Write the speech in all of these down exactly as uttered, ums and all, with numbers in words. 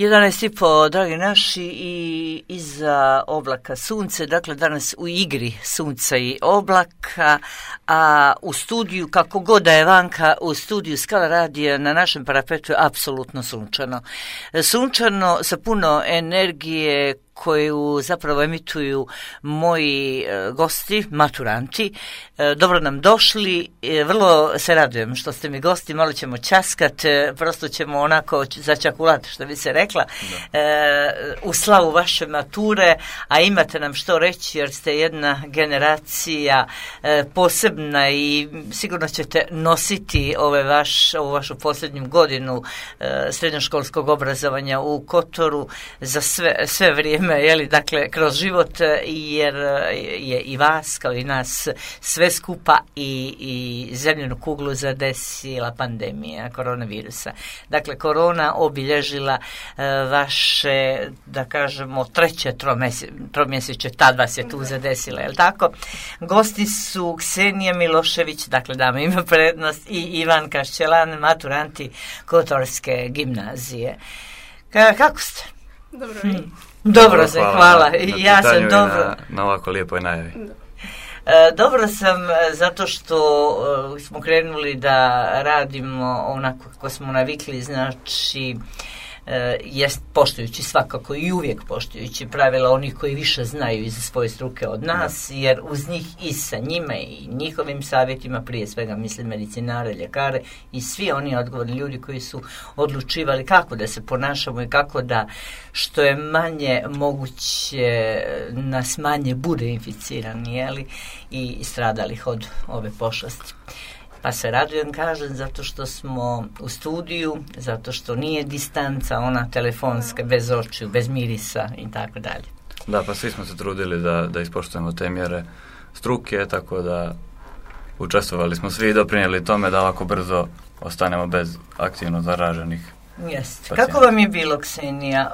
jedanaest i po, dragi naši, i iza oblaka sunce, dakle danas u igri sunca i oblaka, a u studiju, kako god da je vanka, u studiju Skala radija na našem parapetu je apsolutno sunčano. Sunčano sa puno energije koju zapravo emituju moji e, gosti, maturanti. E, dobro nam došli, e, vrlo se radujem što ste mi gosti, malo ćemo časkat, e, prosto ćemo onako začakulat, što bi se rekla, e, u slavu vaše mature, a imate nam što reći jer ste jedna generacija e, posebna i sigurno ćete nositi ove vaš, ovu vašu posljednju godinu e, srednjoškolskog obrazovanja u Kotoru za sve, sve vrijeme, jeli, dakle, kroz život, jer je i vas, kao i nas, sve skupa i, i zemljenu kuglu zadesila pandemija koronavirusa. Dakle, korona obilježila e, vaše, da kažemo, treće tromjesečje, tad vas je tu zadesila, je li tako? Gosti su Ksenija Milošević, dakle, dama ima prednost, i Ivan Kašćelan, maturanti Kotorske gimnazije. Ka, kako ste? Dobro, hmm. Dobro se, hvala. hvala. Na, na ja sam dobro. Na, na ovako lijepoj najavi. E, dobro sam zato što e, smo krenuli da radimo onako kako smo navikli, znači e, jest poštujući svakako i uvijek poštujući pravila onih koji više znaju iz svoje struke od nas, da. Jer uz njih i sa njima i njihovim savjetima, prije svega mislim medicinare, ljekare i svi oni odgovorni ljudi koji su odlučivali kako da se ponašamo i kako da što je manje moguće nas manje bude inficirani, jeli, i stradalih od ove pošasti. Pa se radujem, kažem, zato što smo u studiju, zato što nije distanca, ona telefonska, bez očiju, bez mirisa i tako dalje. Da, pa svi smo se trudili da, da ispoštujemo te mjere struke, tako da učestvovali smo svi i doprinijeli tome da ovako brzo ostanemo bez aktivno zaraženih. Jeste. Kako vam je bilo, Ksenija,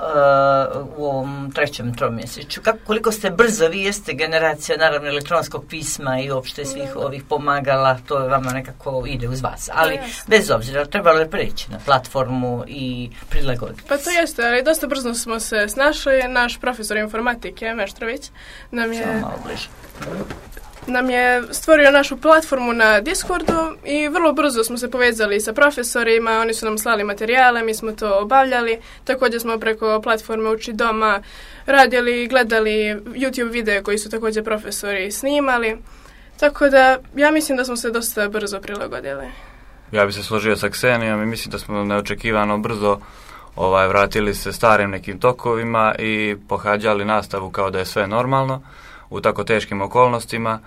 uh, u ovom trećem tromjesečju? Kako, koliko ste brzo, vi jeste generacija naravno elektronskog pisma i uopšte svih ovih pomagala, to je vama nekako ide uz vas, ali no, bez obzira, trebalo je preći na platformu i prilagoditi. Pa to jeste, ali dosta brzo smo se snašli. Naš profesor informatike, Meštrović, nam je... Samo malo bliže. nam je stvorio našu platformu na Discordu i vrlo brzo smo se povezali sa profesorima, oni su nam slali materijale, mi smo to obavljali, također smo preko platforme Uči doma radili i gledali YouTube videe koji su također profesori snimali, tako da ja mislim da smo se dosta brzo prilagodili. Ja bih se složio sa Ksenijom i mislim da smo neočekivano brzo ovaj, vratili se starim nekim tokovima i pohađali nastavu kao da je sve normalno u tako teškim okolnostima,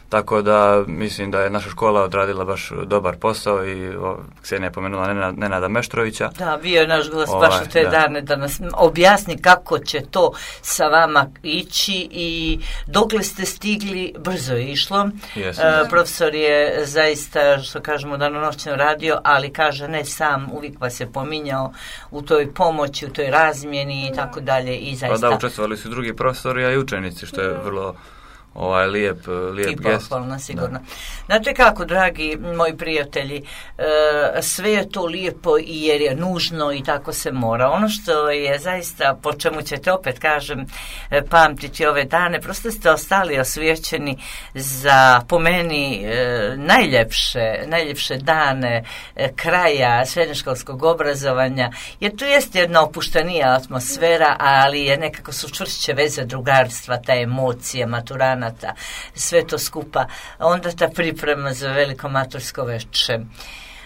tako da mislim da je naša škola odradila baš dobar posao i o, Ksenija je pomenula Nenada, Nenada Meštrovića. Da, bio je naš gost baš u te da. dane da nas objasni kako će to sa vama ići i dokle ste stigli, brzo je išlo. Yes, e, profesor je zaista, što kažemo, danonoćno radio, ali kaže ne sam, uvijek vas je pominjao u toj pomoći, u toj razmjeni i tako dalje i zaista. Pa da, učestvovali su drugi profesori, a i učenici, što je vrlo ovaj lijep, lijep i gest. pohvalno, sigurno. Da. Znate kako, dragi moji prijatelji, e, sve je to lijepo i jer je nužno i tako se mora. Ono što je zaista, po čemu ćete opet, kažem, e, pamtiti ove dane, prosto ste ostali osvijećeni za, po meni, e, najljepše, najljepše dane e, kraja srednjoškolskog obrazovanja, jer tu jeste jedna opuštenija atmosfera, ali je nekako su čvršće veze drugarstva, ta emocija, maturana, sve to skupa, onda ta priprema za veliko matursko veče.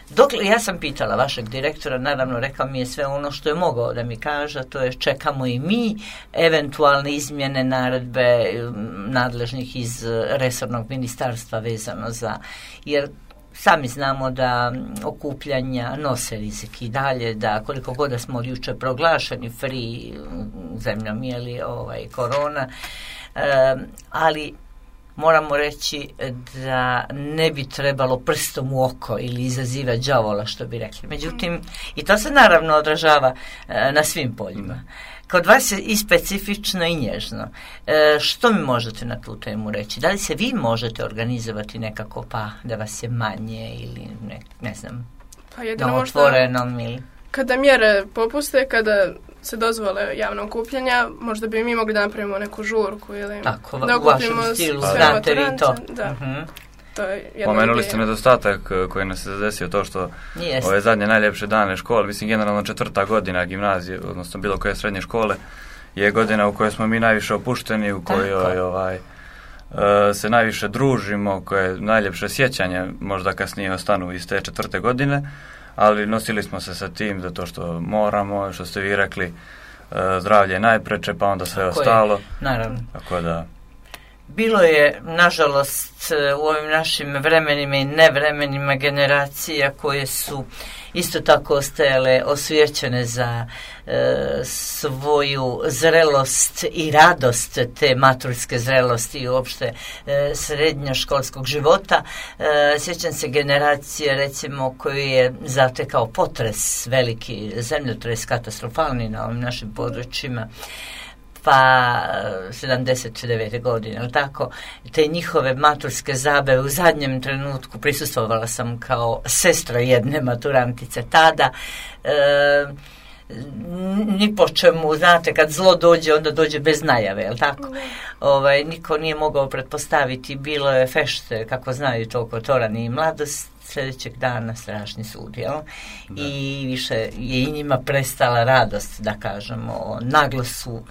Dokle, ja sam pitala vašeg direktora, naravno rekao mi je sve ono što je mogao da mi kaže, to je čekamo i mi eventualne izmjene naredbe nadležnih iz resornog ministarstva vezano za, jer sami znamo da okupljanja nose rizik i dalje, da koliko god da smo od juče proglašeni free zemljom, jeli ovaj korona, Um, ali moramo reći da ne bi trebalo prstom u oko ili izazivati đavola, što bi rekli. Međutim, i to se naravno odražava uh, na svim poljima. Kod vas je i specifično i nježno. Uh, što mi možete na tu temu reći? Da li se vi možete organizovati nekako pa da vas je manje ili ne, ne znam, pa jedino na otvorenom ili... kada mjere popuste, kada se dozvole javno okupljanja, možda bi mi mogli da napravimo neku žurku ili tako, da okupimo sve maturante. Da. Uh-huh. To je Pomenuli ste nedostatak koji nas se desio, to što Jest. ove zadnje najljepše dane škole, mislim generalno četvrta godina gimnazije, odnosno bilo koje srednje škole, je godina u kojoj smo mi najviše opušteni, u kojoj ovaj, se najviše družimo, koje najljepše sjećanje možda kasnije ostanu iz te četvrte godine, ali nosili smo se sa tim zato što moramo, što ste vi rekli, zdravlje je najpreče, pa onda sve tako ostalo. Je, naravno. Tako da... Bilo je, nažalost, u ovim našim vremenima i nevremenima generacija koje su isto tako ostajale osvijećene za e, svoju zrelost i radost te maturske zrelosti i uopšte e, srednjoškolskog života. E, sjećam se generacije, recimo, koju je zatekao potres, veliki zemljotres, katastrofalni na ovim našim područjima, pa sedamdeset devete godine, ali tako, te njihove maturske zabave u zadnjem trenutku prisustvovala sam kao sestra jedne maturantice tada. E, ni po čemu, znate, kad zlo dođe, onda dođe bez najave, jel tako? Ovaj, niko nije mogao pretpostaviti, bilo je fešte, kako znaju toliko torani i mladost, sljedećeg dana strašni sud, jel? I više je i njima prestala radost, da kažemo, naglo su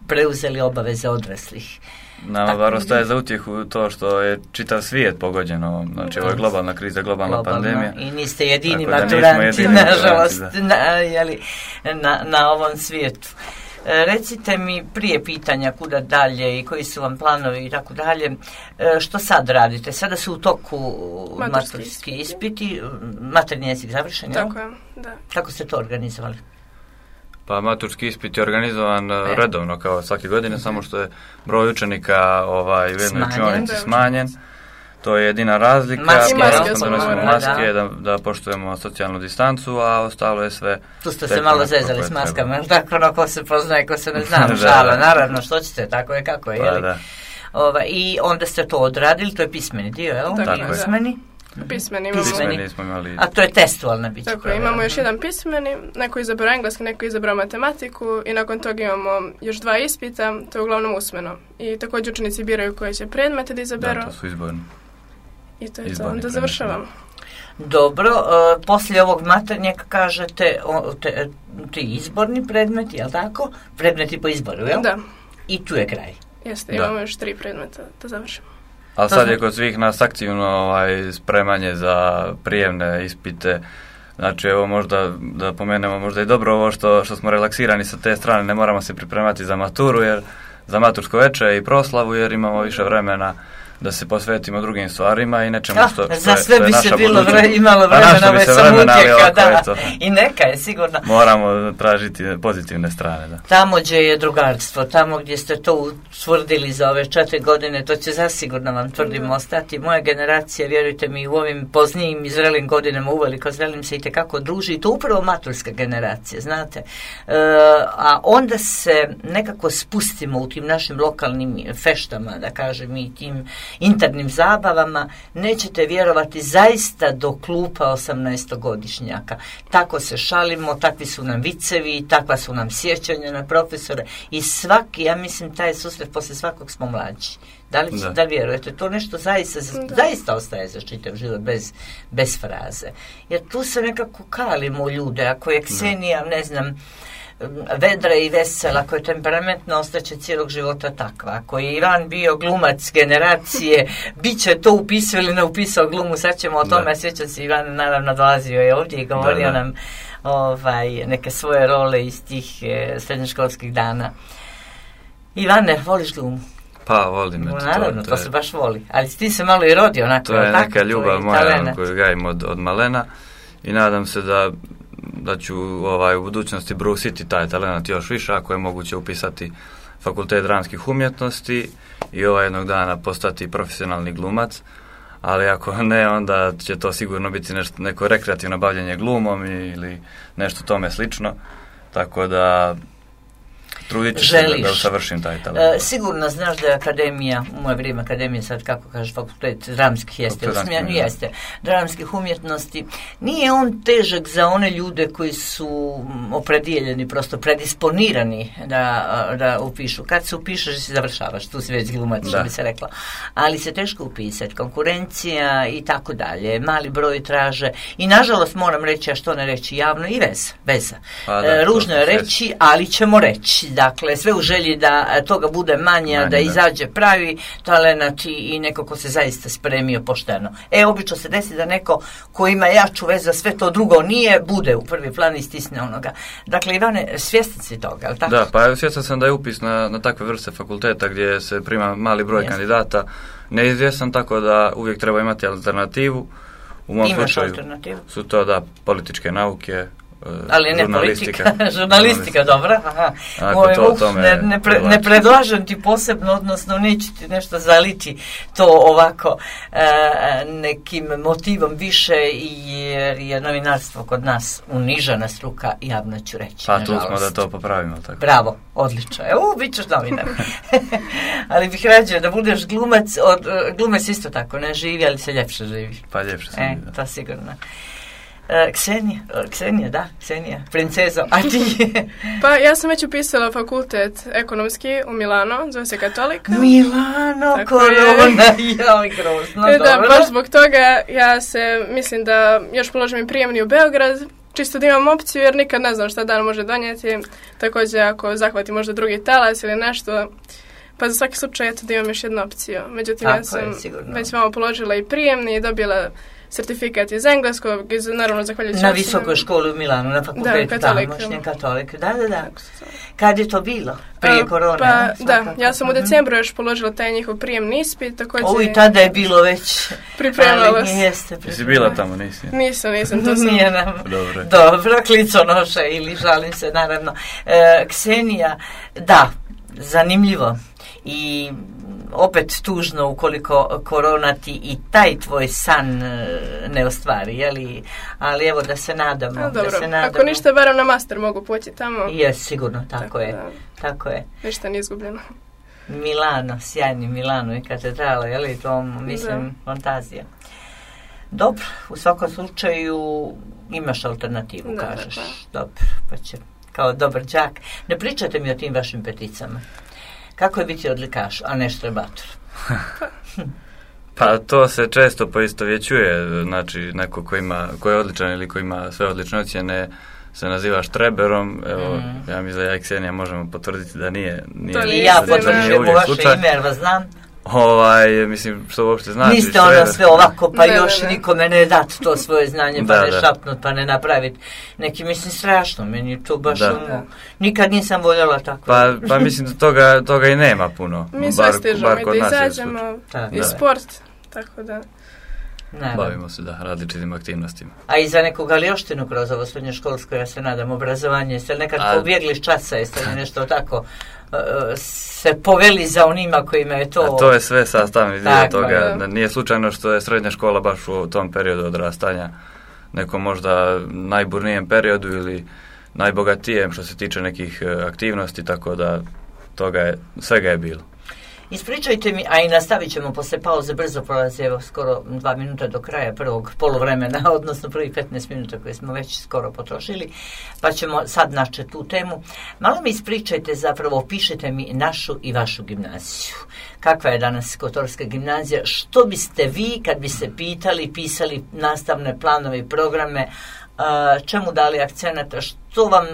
preuzeli obaveze odraslih. Nama bar ostaje za utjehu to što je čitav svijet pogođeno, znači ovo je globalna kriza, globalna, globalna pandemija. I niste jedini maturanti, nažalost, na, jeli, na, na ovom svijetu. E, recite mi prije pitanja kuda dalje i koji su vam planovi i tako dalje, e, što sad radite? Sada su u toku maturski ispiti, maternji jezik završen, jel? Tako je, da. Kako ste to organizovali? Pa maturski ispit je organizovan e. redovno kao svake godine, samo što je broj učenika ovaj, u jednoj učionici smanjen. To je jedina razlika. Maske, maske, donosimo maske da. Da, da poštujemo socijalnu distancu, a ostalo je sve... Tu ste se malo zezali s maskama, tako ono ko se poznaje, ko se ne zna, šala, naravno, što ćete, tako je kako je, pa, jeli? Da. Ova, I onda ste to odradili, to je pismeni dio, jel? Tako je. Pismeni? Pismeni imamo. Pismeni smo imali. A to je testualna bića. Tako je, imamo još jedan pismeni, neko izabrao engleski, neko izabrao matematiku i nakon toga imamo još dva ispita, to je uglavnom usmeno. I također učenici biraju koje će predmete da izaberu. Da, to su izborni. I to je to, onda završavamo. Dobro, uh, poslije ovog maternjeg kažete o, te, ti izborni predmeti, jel tako? Predmeti po izboru, jel? Da. I tu je kraj. Jeste, da. Imamo još tri predmeta da završimo. Ali sad je kod svih nas aktivno ovaj, spremanje za prijemne ispite. Znači, evo možda, da pomenemo, možda je dobro ovo što, što smo relaksirani sa te strane, ne moramo se pripremati za maturu, jer za matursko veče i proslavu, jer imamo više vremena da se posvetimo drugim stvarima i nečemu što, što, za sve što je bi naša se bilo budućnost. vre, imalo vremena, ove sam utjeka, da. Eto, I neka je sigurno. Moramo tražiti pozitivne strane, da. Tamo gdje je drugarstvo, tamo gdje ste to utvrdili za ove četiri godine, to će zasigurno vam tvrdim ostati. Moja generacija, vjerujte mi, u ovim poznijim i zrelim godinama uveliko zrelim se i tekako druži, i to upravo maturska generacija, znate. E, a onda se nekako spustimo u tim našim lokalnim feštama, da kažem, i tim internim zabavama, nećete vjerovati, zaista do klupa osamnaestogodišnjaka. Tako se šalimo, takvi su nam vicevi, takva su nam sjećanja na profesore i svaki, ja mislim, taj susret poslije svakog smo mlađi. Da li, da. da li vjerujete? To nešto zaista, zaista ostaje za čitav život bez, bez fraze. Jer tu se nekako kalimo ljude. Ako je Ksenija, ne znam, vedra i vesela, ako je temperamentno, ostaće cijelog života takva. Ako je Ivan bio glumac generacije, bit će to upisao ili ne upisao glumu, sad ćemo o tome, sjećam se, Ivan naravno dolazio je ovdje i govorio da, da. nam ovaj, neke svoje role iz tih eh, srednjoškolskih dana. Ivane, voliš glumu? Pa, volim. No, naravno, to, to, to se baš voli. Ali ti se malo i rodi onako. To je tako, neka ljubav moja koju gajim od, od malena i nadam se da da ću ovaj, u budućnosti brusiti taj talent još više, ako je moguće upisati fakultet dramskih umjetnosti i ovaj jednog dana postati profesionalni glumac, ali ako ne, onda će to sigurno biti nešto, neko rekreativno bavljenje glumom ili nešto tome slično, tako da Trudit ću želiš. se da, da usavršim taj talent. E, sigurno znaš da je akademija, u moje vrijeme akademija, sad kako kažeš, fakultet dramskih jeste, usmjen, jeste, dramskih umjetnosti, nije on težak za one ljude koji su opredijeljeni, prosto predisponirani da, da upišu. Kad se upišeš, si završavaš, tu si već glumac, što bi se rekla. Ali se teško upisati, konkurencija i tako dalje, mali broj traže i nažalost moram reći, a što ne reći javno, i veza. veza. Pa da, e, ružno je reći, ali ćemo reći. Dakle, sve u želji da toga bude manje, da, da izađe pravi talenat i, i neko ko se zaista spremio pošteno. E, obično se desi da neko ko ima jaču vezu, sve to drugo nije, bude u prvi plan i stisne onoga. Dakle, Ivane, svjestan si toga, ali tako? Da, pa svjestan sam da je upis na, na takve vrste fakulteta gdje se prima mali broj yes. kandidata neizvjestan, tako da uvijek treba imati alternativu. U mom Imaš slučaju alternativu? Su to da političke nauke, ali ne politika, žurnalistika, dobra. Aha. Moj, to, uf, ne, ne, pre, ne predlažem ti posebno, odnosno neću ti nešto zaliti to ovako e, nekim motivom više, jer je novinarstvo kod nas unižana struka, javno ću reći. Pa tu smo da to popravimo. Tako. Bravo, odlično. E, u, bit ćeš novinar. Ali bih rađeo da budeš glumac, od, glumac isto tako, ne živi, ali se ljepše živi. Pa ljepše se e, živi, da. To sigurno. Uh, Ksenija, Ksenija, da, Ksenija, princezo, a ti? Pa ja sam već upisala fakultet ekonomski u Milano, zove se Katolika. Milano, tako korona, joj, grozno, e, dobro. Da, baš zbog toga ja se, mislim da još položim i prijemni u Beograd, čisto da imam opciju jer nikad ne znam šta dan može donijeti, također ako zahvati možda drugi talas ili nešto, pa za svaki slučaj eto da imam još jednu opciju. Međutim, tako ja sam je, već malo položila i prijemni i dobila certifikat iz engleskog, iz, naravno zahvaljujući... Na visokoj školi u Milanu, na fakultetu, da, moćnje katolik, da, da, da. Kad je to bilo? Prije A, korone? Pa, ne? Da, ja sam u decembru još položila taj njihov prijemni ispit, također... O, i tada je bilo već... Pripremala se. Jeste, jesi bila tamo, nisi? Nisam, nisam, to sam... Nije nam... Dobro. Dobro, kliconoša ili žalim se, naravno. E, Ksenija, da, zanimljivo. I opet tužno ukoliko korona ti i taj tvoj san ne ostvari, jeli? Ali evo da se nadamo. A, da se nadamo. Ako ništa, barem na master mogu poći tamo. Je, sigurno, tako, tako je. Da. Tako je. Ništa nije izgubljeno. Milano, sjajni Milano i katedrala, jeli? To, mislim, da. Fantazija. Dobro, u svakom slučaju imaš alternativu, da, kažeš. Da, da. Dobro, pa će, kao dobar đak. Ne pričate mi o tim vašim peticama. Kako je biti odlikaš, a ne štrebator? Pa to se često poistovjećuje, znači neko ko, ima, ko je odličan ili ko ima sve odlične ocjene se naziva štreberom, evo, mm. ja mislim da ja i Ksenija možemo potvrditi da nije, nije, to nije ja potvrđujem u vaše slučaj. Ime, jer vas znam. Ovaj, mislim, što uopšte znači. Niste ono sve ovako, pa ne, još ne, ne. nikome ne dati to svoje znanje, pa da, ne da. šapnut, pa ne napraviti. Neki, mislim, strašno, meni je to baš da. ono, nikad nisam voljela tako. Pa, pa mislim da toga, toga i nema puno. Mi sve stižemo i da izađemo, i da. sport, tako da. Naravno. Bavimo se, da, različitim aktivnostima. A i za nekog alioštinu kroz ovo srednjoškolsko, ja se nadam, obrazovanje, jeste li nekad A... pobjegli s časa, jeste li nešto tako uh, se poveli za onima kojima je to... A to je sve sastavni dio toga. Da. Nije slučajno što je srednja škola baš u tom periodu odrastanja, nekom možda najburnijem periodu ili najbogatijem što se tiče nekih aktivnosti, tako da toga je, svega je bilo. Ispričajte mi, a i nastavit ćemo posle pauze, brzo prolazi, evo skoro dva minuta do kraja prvog poluvremena, odnosno prvih petnaest minuta koje smo već skoro potrošili, pa ćemo sad naći tu temu. Malo mi ispričajte, zapravo opišite mi našu i vašu gimnaziju. Kakva je danas Kotorska gimnazija? Što biste vi, kad bi se pitali, pisali nastavne planove i programe, čemu dali akcenata, što vam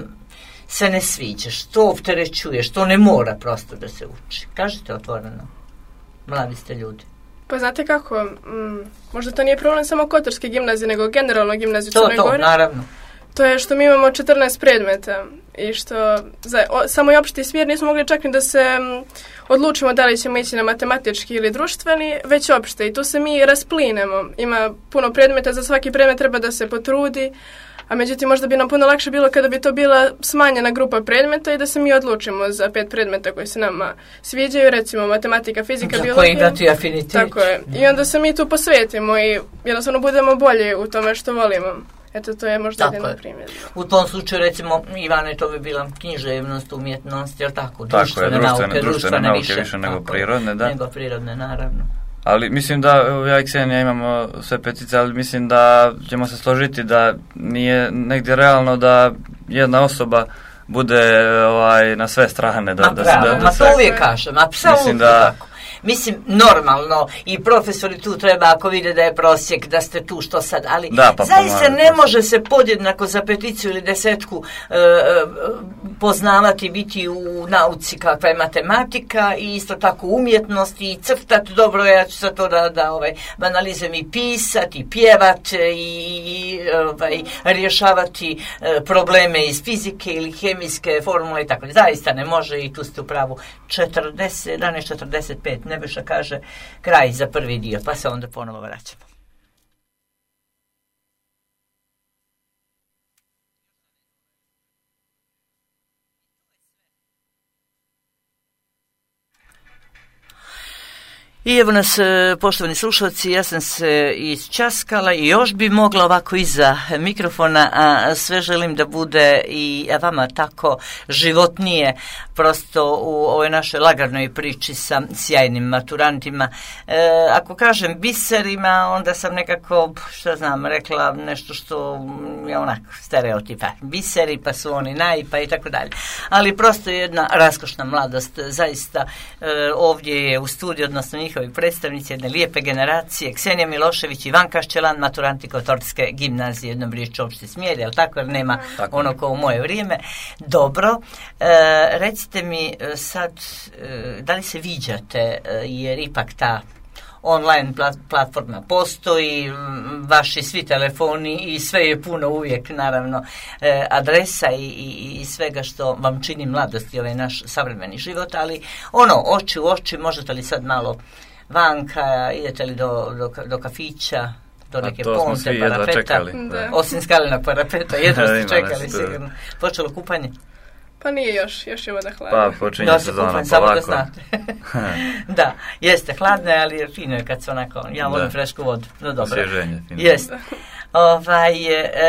se ne sviđa, što opterećuje, što ne mora prosto da se uči? Kažite otvoreno. Mladi ste ljudi. Pa znate kako, m, možda to nije problem samo Kotorske gimnazije, nego generalno gimnaziju to, Crnoj to, Gori. To, naravno. To je što mi imamo četrnaest predmeta i što za o, samo i opšti smjer nismo mogli čak ni da se m, odlučimo da li ćemo ići na matematički ili društveni, već opšte. I tu se mi rasplinemo. Ima puno predmeta, za svaki predmet treba da se potrudi, a međutim možda bi nam puno lakše bilo kada bi to bila smanjena grupa predmeta i da se mi odlučimo za pet predmeta koji se nama sviđaju, recimo matematika, fizika, za biologija. Za koji imati afinitet. Tako je. I onda se mi tu posvetimo i jednostavno budemo bolji u tome što volimo. Eto, to je možda jedan primjer. U tom slučaju, recimo, Ivane, to bi bila književnost, umjetnost, jel tako? Tako društvene je, društvene, nauke, društvene nauke više, više nego prirodne, da. Nego prirodne, naravno. Ali mislim da ja i Ksenija imamo sve petice, ali mislim da ćemo se složiti da nije negdje realno da jedna osoba bude ovaj, na sve strane. Da, ma da, pravo, da, da ma sve... to uvijek kažem, apsolutno da... tako. Mislim, normalno, i profesori tu treba, ako vide da je prosjek, da ste tu što sad, ali da, pa zaista ne može se podjednako za peticiju ili desetku e, poznavati, biti u nauci kakva je matematika i isto tako umjetnost i crtati, dobro, ja ću za to da, da ovaj, banalizam i pisati, i pjevat i ovaj, rješavati e, probleme iz fizike ili hemijske formule i tako. Zaista ne može i tu ste u pravu. četrdeset, jedanaest četrdeset pet Nebojša kaže kraj za prvi dio, pa se onda ponovo vraćamo. I evo nas, poštovani slušalci, ja sam se isčaskala i još bi mogla ovako iza mikrofona, a sve želim da bude i vama tako životnije, prosto u ovoj našoj lagarnoj priči sa sjajnim maturantima. E, ako kažem biserima, onda sam nekako, što znam, rekla nešto što je onako stereotipa. Biseri, pa su oni naj, pa i tako dalje. Ali prosto je jedna raskošna mladost, zaista e, ovdje je u studiju, odnosno njihovi predstavnici jedne lijepe generacije, Ksenija Milošević i Ivan Kašćelan, maturanti Kotorske gimnazije, jednom riječju opšte smjer, jel tako, jer nema tako ono ko u moje vrijeme. Dobro, e, recite mi sad, e, da li se viđate, e, jer ipak ta online platforma postoji, vaši svi telefoni i sve je puno uvijek, naravno, e, adresa i, i, i svega što vam čini mladost i ovaj naš savremeni život, ali ono, oči u oči, možete li sad malo vanka, idete li do, do, do kafića, do neke ponte, parapeta, osim skalenog parapeta, jedno ste čekali sigurno. Počelo kupanje? Pa nije još, još je voda hladna. Pa počinje sezona polako. Da, jeste hladne, ali fino je kad se onako, ja volim frešku vodu. No dobro. Osvježenje. Jeste. Ovaj,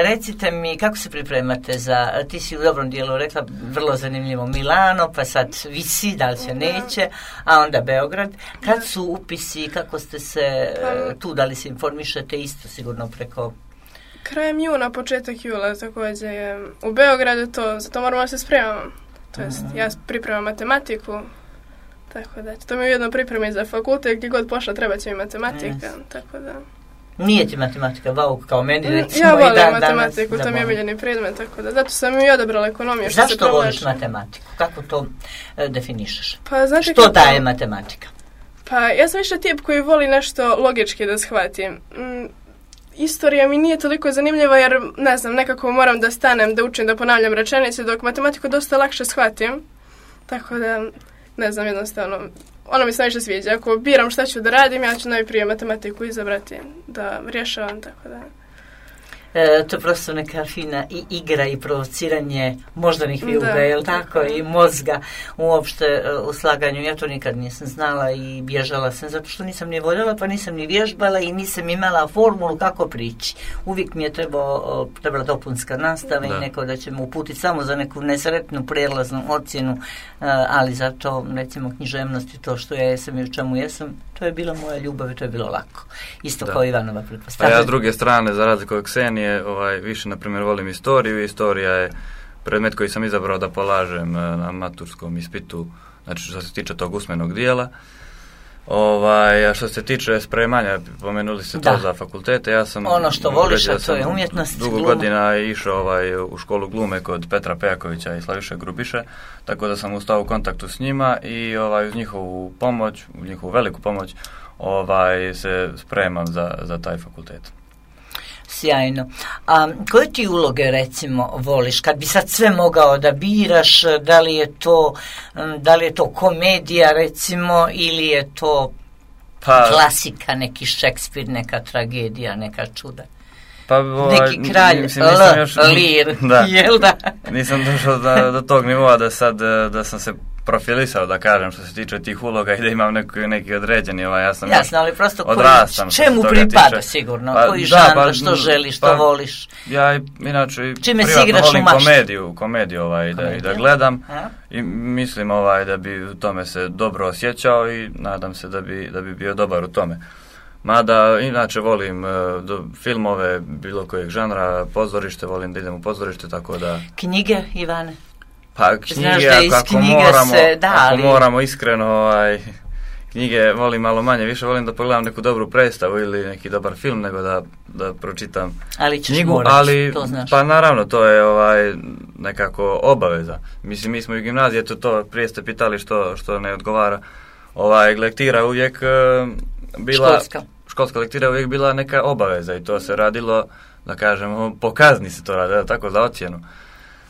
recite mi, kako se pripremate za, ti si u dobrom dijelu rekla, vrlo zanimljivo Milano, pa sad visi, da li se neće, a onda Beograd. Kad su upisi, kako ste se tu, da li se informišete isto sigurno preko... Krajem juna, početak jula također je u Beogradu to, zato moramo se spremamo. To jest, ja pripremam matematiku, tako da, to mi je ujedno pripremi za fakultet, gdje god pošla treba će mi matematika, yes. Tako da... Nije ti matematika vauk kao meni, recimo, ja volim i dan matematiku, danas, to mi je omiljeni predmet, tako da, zato sam i odabrala ekonomiju. Što Zašto se voliš matematiku? Kako to e, definišeš? Pa, znate što kako... daje matematika? Pa, ja sam više tip koji voli nešto logički da shvatim. Mm, Istorija mi nije toliko zanimljiva jer, ne znam, nekako moram da stanem, da učim, da ponavljam rečenice, dok matematiku dosta lakše shvatim. Tako da, ne znam, jednostavno, ono mi se najviše sviđa. Ako biram šta ću da radim, ja ću najprije matematiku izabrati, da rješavam, tako da... E, to je prosto neka fina i igra i provociranje moždanih vijuga, jel tako, tako, i mozga uopšte u slaganju. Ja to nikad nisam znala i bježala sam, zato što nisam ni voljela, pa nisam ni vježbala i nisam imala formulu kako prići. Uvijek mi je trebao, trebala dopunska nastava da. I neko da će me uputiti samo za neku nesretnu prijelaznu ocjenu, ali zato, recimo, književnost i to što ja jesam i u čemu jesam, to je bila moja ljubav i to je bilo lako. Isto da. Kao Ivanova pretpostavlja. A ja s druge strane, za razliku od Ksenije, ovaj, više, na primjer, volim istoriju. Istorija je predmet koji sam izabrao da polažem na maturskom ispitu, znači što se tiče tog usmenog dijela. Ovaj, a što se tiče spremanja, pomenuli ste da. To za fakultete, ja sam... Ono što voliš, a to je umjetnost. Dugo gluma. Godina išao ovaj, u školu glume kod Petra Pejakovića i Slaviše Grubiše, tako da sam ustao u kontaktu s njima i ovaj, uz njihovu pomoć, uz njihovu veliku pomoć, ovaj, se spremam za, za taj fakultet. Sjajno. A koje ti uloge, recimo, voliš? Kad bi sad sve mogao da biraš, da li je to, da li je to komedija, recimo, ili je to pa, klasika, neki Šekspir, neka tragedija, neka čuda? Pa, ovaj, neki kralj, mislim, L, još, lir, da, jel da? Nisam došao do, do tog nivoa da sad, da sam se profilisao, da kažem, što se tiče tih uloga i da imam neki, neki određeni, ovaj, ja sam jasno, ali prosto odrastam. Koji, čemu pripada tiče. Sigurno, pa, koji da, žanr, pa, što želiš, što pa, voliš? Ja inače čime privatno volim komediju, komediju ovaj, da, da gledam a? I mislim ovaj, da bi u tome se dobro osjećao i nadam se da bi, da bi bio dobar u tome. Mada, inače volim uh, do, filmove bilo kojeg žanra, pozorište, volim da idem u pozorište, tako da... Knjige, Ivane? Pa knjige, ako, ako, moramo, se, da, ako ali... moramo iskreno, ovaj, knjige volim malo manje, više volim da pogledam neku dobru predstavu ili neki dobar film, nego da, da pročitam ali knjigu, morati, ali to znaš. Pa naravno, to je ovaj, nekako obaveza. Mislim, mi smo u gimnaziji, eto to, prije ste pitali što, što ne odgovara, ovaj, lektira uvijek... Uh, bila, školska. školska lektira uvijek bila neka obaveza i to se radilo, da kažemo, po kazni se to radilo, tako za ocjenu.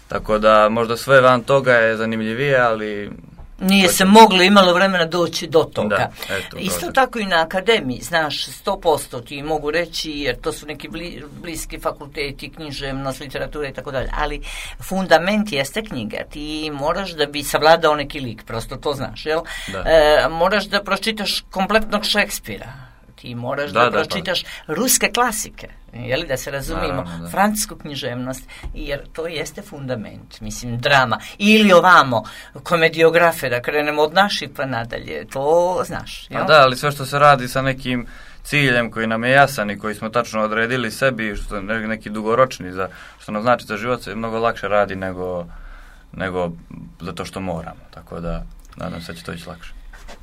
Tako da možda sve van toga je zanimljivije, ali... Nije se moglo, imalo vremena doći do toga. Da, eto, isto prođe. Tako i na akademiji, znaš, sto posto ti mogu reći, jer to su neki bli, bliski fakulteti, književnost, literatura i tako dalje, ali fundament jeste knjiga. Ti moraš da bi savladao neki lik, prosto to znaš, jel? Da. E, moraš da pročitaš kompletnog Šekspira. Ti moraš da, da, da pročitaš pa. ruske klasike, jeli, da se razumijemo, Naravno, da. francusku književnost, jer to jeste fundament, mislim, drama. Ili ovamo, komediografe, da krenemo od naših pa nadalje, to znaš. Jel? Da, ali sve što se radi sa nekim ciljem koji nam je jasan i koji smo tačno odredili sebi, što je neki dugoročni, za, što nam znači za život, se mnogo lakše radi nego, nego zato što moramo. Tako da, nadam se da će to ići lakše.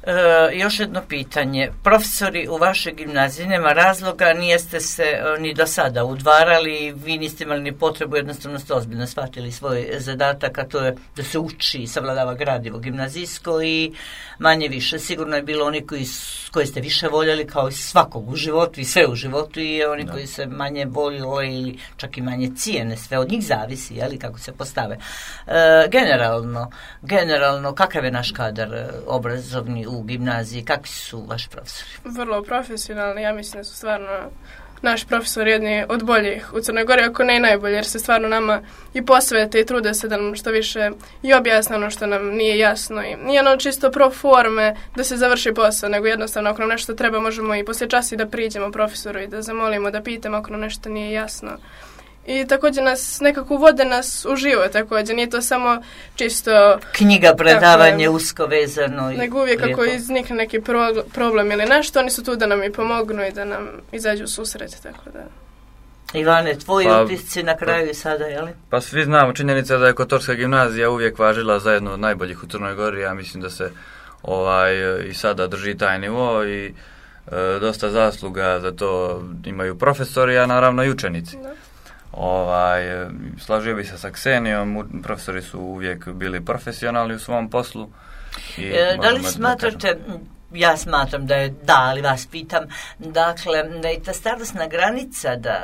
E, još jedno pitanje. Profesori u vašoj gimnaziji, nema razloga, nijeste se e, ni do sada udvarali, vi niste imali ni potrebu, jednostavno ste ozbiljno shvatili svoj zadatak, a to je da se uči i savladava gradivo gimnazijsko i manje više. Sigurno je bilo oni koji, koji ste više voljeli kao i svakog u životu i sve u životu i oni da. koji se manje voljeli ili čak i manje cijene, sve od njih zavisi, jeli, kako se postave. E, generalno, generalno, kakav je naš kadar obrazovni u gimnaziji, kakvi su vaši profesori? Vrlo profesionalni, ja mislim da su stvarno naši profesori jedni od boljih u Crnoj Gori, ako ne i najbolji, jer se stvarno nama i posvete i trude se da nam što više i objasne ono što nam nije jasno. I nije ono čisto pro forme da se završi posao, nego jednostavno ako nam nešto treba možemo i poslije časa i da priđemo profesoru i da zamolimo, da pitamo ako nam nešto nije jasno. I također nas nekako uvode nas u život, također nije to samo čisto knjiga, predavanje, tako, usko vezano. Nego uvijek kako iznikne neki pro, problem ili nešto, oni su tu da nam i pomognu i da nam izađu u susret, tako da. Ivane, tvoji pa, utisci na kraju i sada, jeli? Pa svi znamo, činjenica da je Kotorska gimnazija uvijek važila za jednu od najboljih u Crnoj Gori, ja mislim da se ovaj i sada drži taj nivo i e, dosta zasluga za to imaju profesori, a naravno i učenici. Da. Ovaj, slažio bi se sa Ksenijom, profesori su uvijek bili profesionalni u svom poslu. I e, da li smatrate, ja smatram da je da, ali vas pitam, dakle, da je ta starosna granica, da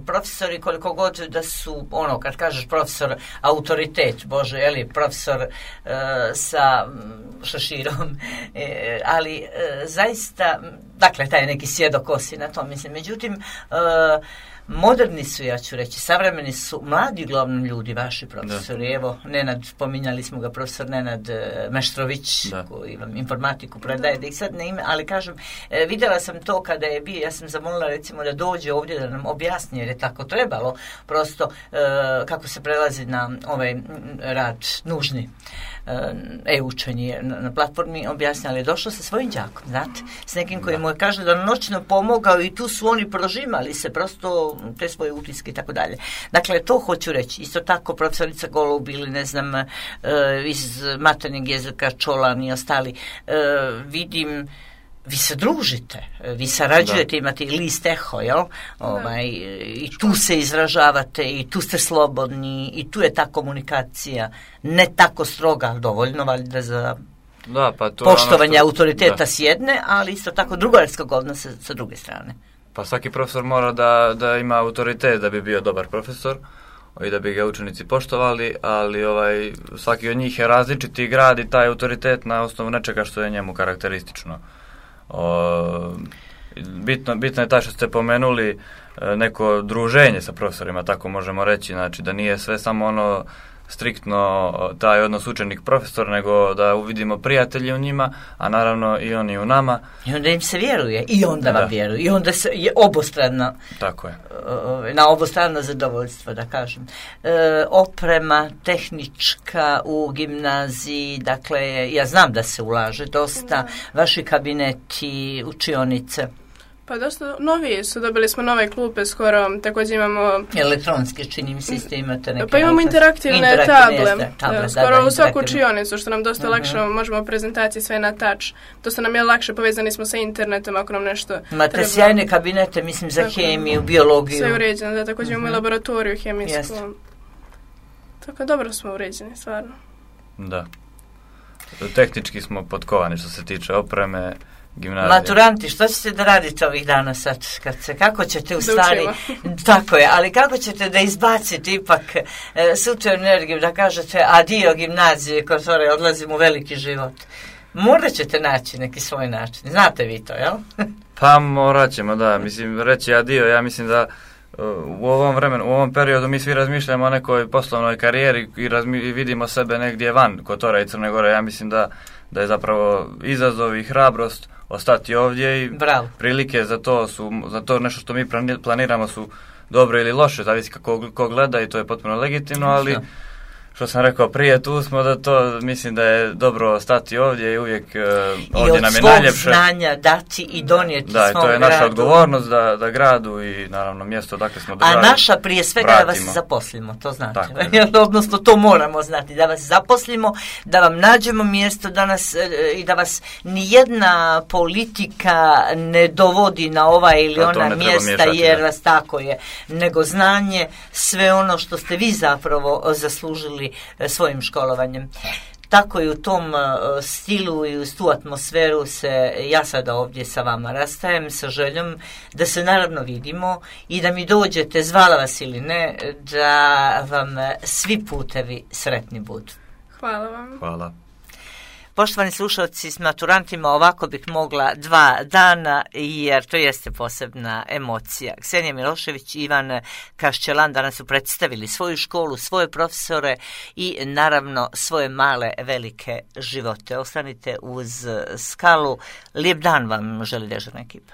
profesori koliko god da su, ono, kad kažeš profesor, autoritet, Bože, je li, profesor e, sa šaširom, e, ali e, zaista, dakle, taj neki sjedokosi na to, mislim, međutim, e, moderni su, ja ću reći, savremeni su mladi uglavnom ljudi, vaši profesori. Da. Evo, Nenad, pominjali smo ga, profesor Nenad Meštrović, da. koji vam informatiku predaje, da ih sad ne ime, ali kažem, e, vidjela sam to kada je bio, ja sam zamolila recimo da dođe ovdje da nam objasni, jer je tako trebalo, prosto e, kako se prelazi na ovaj rad nužni e-učenje na, na platformi, objasnili, ali je došlo sa svojim đakom, znate, s nekim koji mu je kaže da noćno pomogao i tu su oni prožimali se prosto te svoje utiske i tako dalje. Dakle, to hoću reći. Isto tako profesorica Golub ili ne znam e, iz maternjeg jezika Čolan i ostali, e, vidim vi se družite, vi sarađujete, imate i list Eho, jel? Ovaj, i tu se izražavate, i tu ste slobodni, i tu je ta komunikacija ne tako stroga, ali dovoljno valjda za da, pa to poštovanje što, autoriteta da. s jedne, ali isto tako drugarskog odnosa sa druge strane. Pa svaki profesor mora da, da ima autoritet da bi bio dobar profesor i da bi ga učenici poštovali, ali ovaj svaki od njih je različiti i gradi taj autoritet na osnovu nečega što je njemu karakteristično. O, bitno, bitno je taj što ste pomenuli neko druženje sa profesorima, tako možemo reći, znači da nije sve samo ono striktno taj odnos učenik-profesor, nego da uvidimo prijatelji u njima, a naravno i oni u nama. I onda im se vjeruje, i onda vam vjeruju, i onda se je obostrano, tako je. Na obostrano zadovoljstvo, da kažem. E, oprema tehnička u gimnaziji, dakle, ja znam da se ulaže dosta, da. Vaši kabineti, učionice. Pa dosta novije su, dobili smo nove klupe skoro, također imamo... Elektronski, čini mi se, isto imate neke... Pa imamo interaktivne, interaktivne table, table da, skoro da, da, u svaku učionicu, što nam dosta uh-huh. lakše, možemo prezentacije sve na touch, dosta nam je lakše, povezani smo sa internetom ako nam nešto... Imate treba... sjajne kabinete, mislim, za tako, hemiju, biologiju. Sve uređeno, da, također uh-huh. imamo i laboratoriju hemijsku. Jest. Tako dobro smo uređeni, stvarno. Da. Tehnički smo potkovani što se tiče opreme, gimnazije. Maturanti, što ćete da radite ovih dana sad? Kad se, kako ćete u stvari... Tako je, ali kako ćete da izbacite ipak e, sutra energiju, da kažete adio gimnazije, kotore, odlazim u veliki život? Morat ćete naći neki svoj način. Znate vi to, jel? Pa morat ćemo, da. Mislim, reći adio, ja mislim da u ovom vremenu, u ovom periodu mi svi razmišljamo o nekoj poslovnoj karijeri i, razmi, i vidimo sebe negdje van Kotora i Crne Gore. Ja mislim da, da je zapravo izazov i hrabrost ostati ovdje i Bravo. Prilike za to su, za to nešto što mi planiramo su dobre ili loše, zavisi kako ko gleda i to je potpuno legitimno, ali što sam rekao prije, tu smo da to, mislim da je dobro stati ovdje i uvijek uh, ovdje nam je najljepše. I od svog znanja dati i donijeti da, svom gradu. Da, to je naša gradu. odgovornost da, da gradu i naravno mjesto dakle smo držali. A naša prije svega vratimo. Da vas zaposlimo, to znate. Odnosno to moramo znati, da vas zaposlimo, da vam nađemo mjesto da nas, i da vas nijedna politika ne dovodi na ova ili da, ona mjesta miješati, jer da. Vas tako je, nego znanje, sve ono što ste vi zapravo zaslužili svojim školovanjem. Tako i u tom uh, stilu i u tu atmosferu se ja sada ovdje sa vama rastajem sa željom da se naravno vidimo i da mi dođete, zvala vas ili ne, da vam svi putevi sretni budu. Hvala vam. Hvala. Poštovani slušalci, s maturantima ovako bih mogla dva dana, jer to jeste posebna emocija. Ksenija Milošević i Ivan Kaščelan danas su predstavili svoju školu, svoje profesore i naravno svoje male, velike živote. Ostanite uz Skalu. Lijep dan vam želi dežurna ekipa.